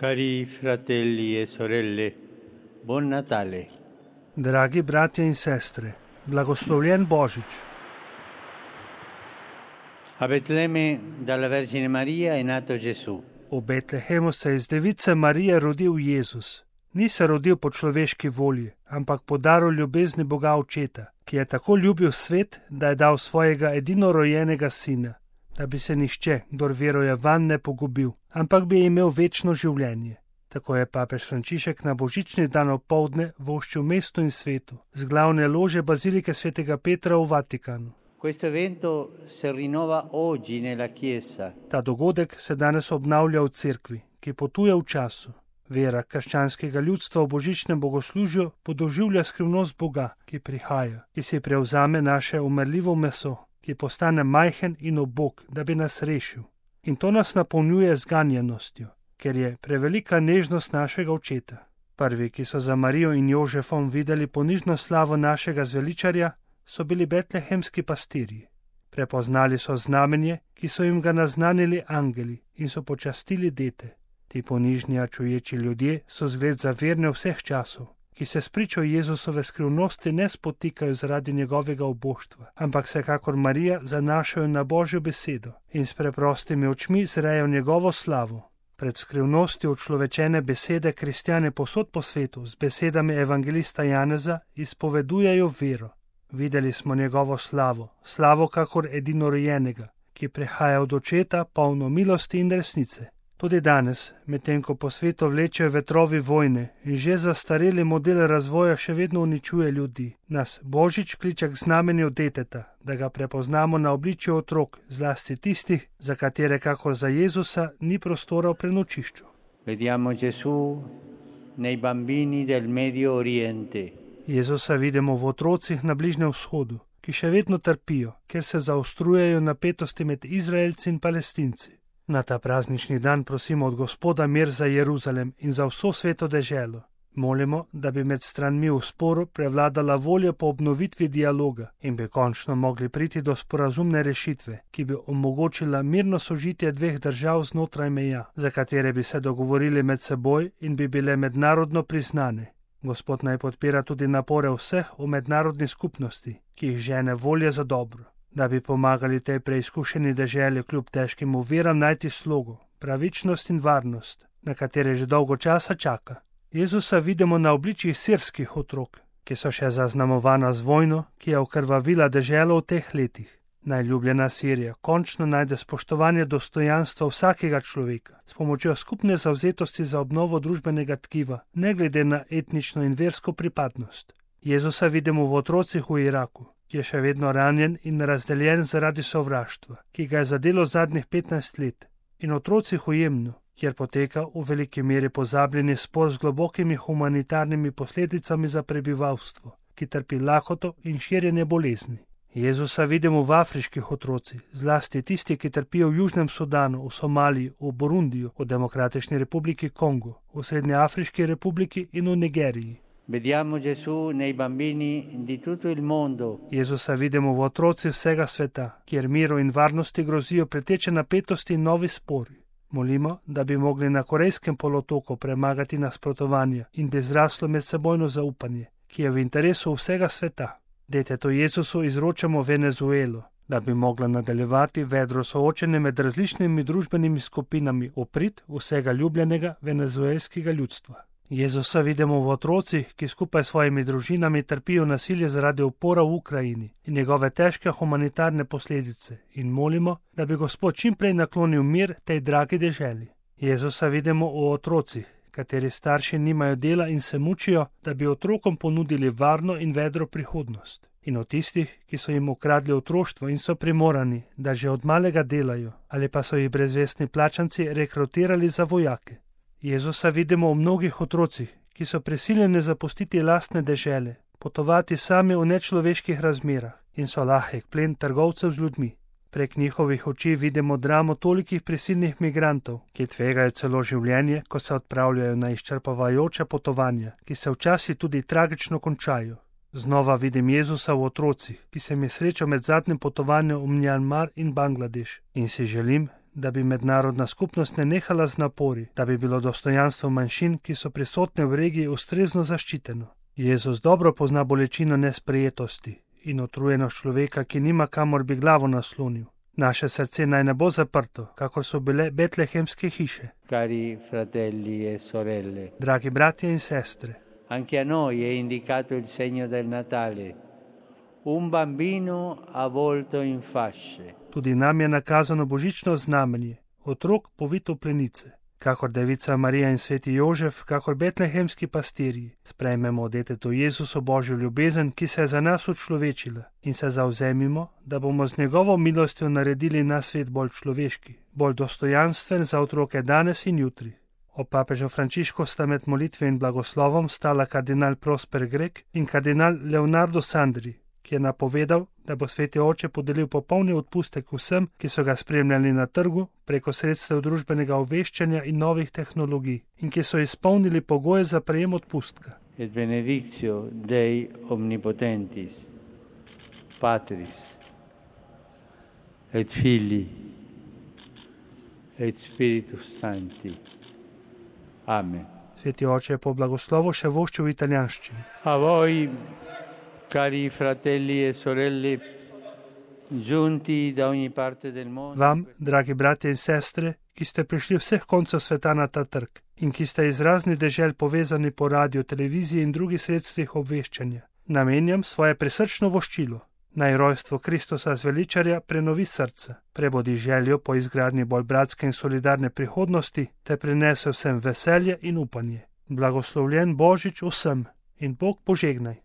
Cari fratelli e sorelle, buon Natale. Dragi bratje in sestre, blagoslovljen Božič. A Betlemme dalla Vergine Maria è nato Gesù. V Betlehemu se je iz device Marije rodil Jezus. Ni se rodil po človeški volji, ampak po daru ljubezni Boga Očeta, ki je tako ljubil svet, da je dal svojega edinorojenega sina, da bi se nihče, kdor veruje vanj, ne pogubil, ampak bi imel večno življenje. Tako je papež Frančišek na božični dan opoldne voščil mestu in svetu z glavne lože bazilike svetega Petra v Vatikanu. Questo evento si rinnova oggi nella Chiesa. Ta dogodek se danes obnavlja v cerkvi, ki potuje v času. Vera krščanskega ljudstva v božičnem bogoslužju podoživlja skrivnost Boga, ki prihaja, ki si prevzame naše umrljivo meso, ki postane majhen in ubog, da bi nas rešil. In to nas napolnjuje z ganjenostjo, ker je prevelika nežnost našega očeta. Prvi, ki so za Marijo in Jožefom videli ponižno slavo našega zveličarja, so bili betlehemski pastirji. Prepoznali so znamenje, ki so jim ga naznanili angeli in so počastili dete. Ti ponižni a čuječi ljudje so zgled za verne vseh časov, ki se spričo Jezusove skrivnosti ne spotikajo zaradi njegovega uboštva, ampak se kakor Marija zanašajo na Božjo besedo in s preprostimi očmi zrejo njegovo slavo. Pred skrivnostjo učlovečene besede kristjane povsod po svetu z besedami evangelista Janeza izpovedujejo vero. Videli smo njegovo slavo, slavo kakor edinorojenega, ki prihaja od Očeta polno milosti in resnice. Tudi danes, medtem ko po svetu vlečejo vetrovi vojne in že zastareli model razvoja še vedno uničuje ljudi, nas Božič kliče k znamenju deteta, da ga prepoznamo na obličju otrok, zlasti tistih, za katere kakor za Jezusa ni prostora v prenočišču. Vediamo Gesù nei bambini del Medio Oriente. Jezusa vidimo v otrocih na Bližnjem vzhodu, ki še vedno trpijo, ker se zaostrujejo napetosti med Izraelci in Palestinci. Na ta praznični dan prosimo od Gospoda mir za Jeruzalem in za vso sveto deželo. Molimo, da bi med stranmi v sporu prevladala volja po obnovitvi dialoga in bi končno mogli priti do sporazumne rešitve, ki bi omogočila mirno sožitje dveh držav znotraj meja, za katere bi se dogovorili med seboj in bi bile mednarodno priznane. Gospod naj podpira tudi napore vseh v mednarodni skupnosti, ki jih žene volje za dobro, da bi pomagali tej preizkušeni deželi kljub težkim oviram najti slogo, pravičnost in varnost, na katere že dolgo časa čaka. Jezusa vidimo na obličjih sirskih otrok, ki so še zaznamovana z vojno, ki je okrvavila deželo v teh letih. Najljubljena Sirija končno najde spoštovanje dostojanstva vsakega človeka s pomočjo skupne zavzetosti za obnovo družbenega tkiva, ne glede na etnično in versko pripadnost. Jezusa vidimo v otrocih v Iraku, ki je še vedno ranjen in razdeljen zaradi sovraštva, ki ga je zadelo zadnjih 15 let, in otrocih v Jemnu, kjer poteka v veliki meri pozabljeni spor z globokimi humanitarnimi posledicami za prebivalstvo, ki trpi lakoto in širjenje bolezni. Jezusa vidimo v afriških otrocih, zlasti tisti, ki trpijo v Južnem Sudanu, v Somaliji, v Burundiju, v Demokratični republiki Kongo, v Srednjeafriški republiki in v Nigeriji. Vediamo Gesù nei bambini di tutto il mondo. Jezusa vidimo v otrocih vsega sveta, kjer miru in varnosti grozijo preteče napetosti in novi spori. Molimo, da bi mogli na Korejskem polotoku premagati nasprotovanja in bi zraslo medsebojno zaupanje, ki je v interesu vsega sveta. Detetu Jezusu izročamo Venezuelo, da bi mogla nadaljevati vedro soočenje med različnimi družbenimi skupinami v prid vsega ljubljenega venezuelskega ljudstva. Jezusa vidimo v otrocih, ki skupaj s svojimi družinami trpijo nasilje zaradi upora v Ukrajini in njegove težke humanitarne posledice in molimo, da bi Gospod čim prej naklonil mir tej dragi deželi. Jezusa vidimo v otrocih, kateri starši nimajo dela in se mučijo, da bi otrokom ponudili varno in vedro prihodnost. In od tistih, ki so jim ukradli otroštvo in so primorani, da že od malega delajo, ali pa so jih brezvestni plačanci rekrutirali za vojake. Jezusa vidimo v mnogih otrocih, ki so prisiljeni zapustiti lastne dežele, potovati sami v nečloveških razmerah in so lahek plen trgovcev z ljudmi. Prek njihovih oči vidimo dramo tolikih prisilnih migrantov, ki tvegajo celo življenje, ko se odpravljajo na izčrpavajoča potovanja, ki se včasih tudi tragično končajo. Znova vidim Jezusa v otrocih, ki se mi srečal med zadnjim potovanjem v Mjanmar in Bangladeš in si želim, da bi mednarodna skupnost ne nehala z napori, da bi bilo dostojanstvo manjšin, ki so prisotne v regiji, ustrezno zaščiteno. Jezus dobro pozna bolečino nesprejetosti in utrujenost človeka, ki nima kamor bi glavo naslonil. Naše srce naj ne bo zaprto, kakor so bile betlehemske hiše. Cari fratelli e sorelle, Dragi bratje in sestre, anche a noi è indicato il segno del Natale, un bambino avvolto in fasce. tudi nam je nakazano božično znamenje, otrok povit v plenice. Kakor Devica Marija in sveti Jožef, kakor betlehemski pastirji, sprejmemo detetu Jezusu Božjo ljubezen, ki se je za nas učlovečila, in se zavzemimo, da bomo z njegovo milostjo naredili naš svet bolj človeški, bolj dostojanstven za otroke danes in jutri. Ob papežu Frančišku sta med molitve in blagoslovom stala kardinal Prosper Grek in kardinal Leonardo Sandri, ki je napovedal, da bo sveti oče podelil popolni odpustek vsem, ki so ga spremljali na trgu preko sredstev družbenega obveščanja in novih tehnologij in ki so izpolnili pogoje za prejem odpustka. Et benedictio Dei omnipotentis, Patris, et Filii, et Spiritus Sancti. Amen. Sveti oče je po blagoslovu še voščil v italijanščini. A voi, cari fratelli e sorelle, giunti da ogni parte del mondo. Vam, dragi bratje in sestre, ki ste prišli vseh koncev sveta na ta trg in ki ste iz raznih dežel povezani po radiju, televiziji in drugih sredstvih obveščanja, namenjam svoje prisrčno voščilo. Naj rojstvo Kristusa zveličarja prenovi srce, prebodi željo po izgradnji bolj bratske in solidarne prihodnosti te prinese vsem veselje in upanje. Blagoslovljen Božič vsem in Bog požegnaj.